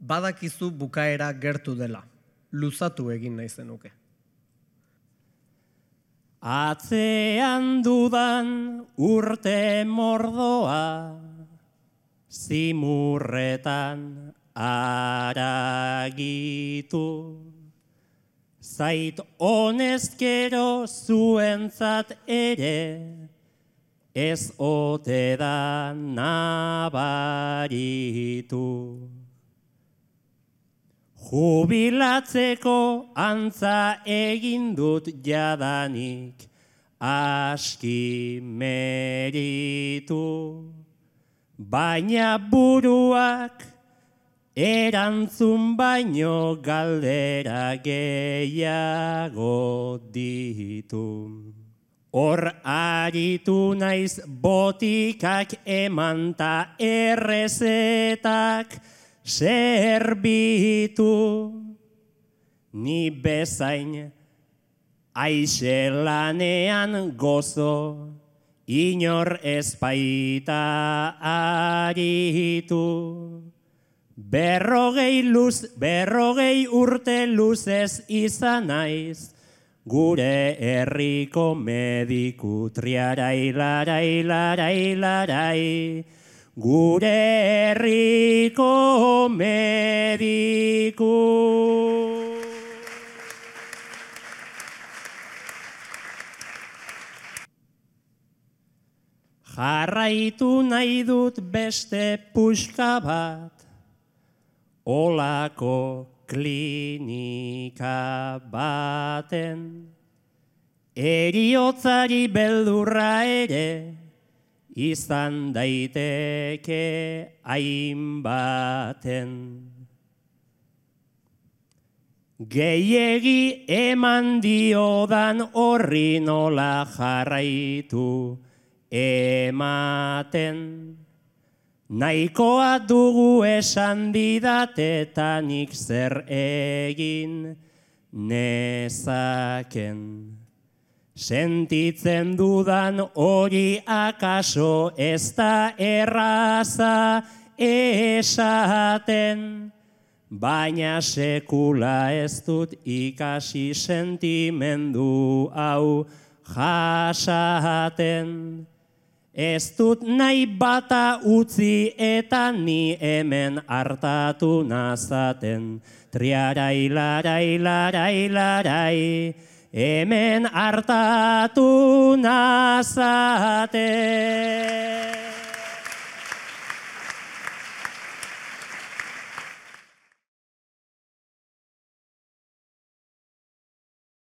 Badakizu bukaera gertu dela, luzatu egin nahi zenuke. Atzean dudan urte mordoa, zimurretan aragitu. Zait honezkero zuentzat ere, ez ote da nabaritu. Jubilatzeko antza egin dut jadanik, aski meritu. Baina buruak erantzun baino galdera gehiago ditu. Hor aritu naiz botikak emanta errezetak zerbitu. Ni bezain aixelanean gozo, inor ezpaita aritu. Berrogei urte luzez izan naiz, gure herriko mediku triarai larai larai larai. Gure herriko mediku. Jarraitu nahi dut beste puska bat, olako klinika baten. Heriotzari beldurra ere, izan daiteke hainbaten. Gehiegi eman diodan horri nola jarraitu ematen. Nahikoa dugu esan didatetanik zer egin nezaken. Sentitzen dudan hori akaso ez da erraza esaten, baina sekula ez dut ikasi sentimendu hau jasaten. Ez dut nahi bata utzi eta ni hemen hartatu nazaten. Triarai larai larai larai, hemen hartatu nazaten.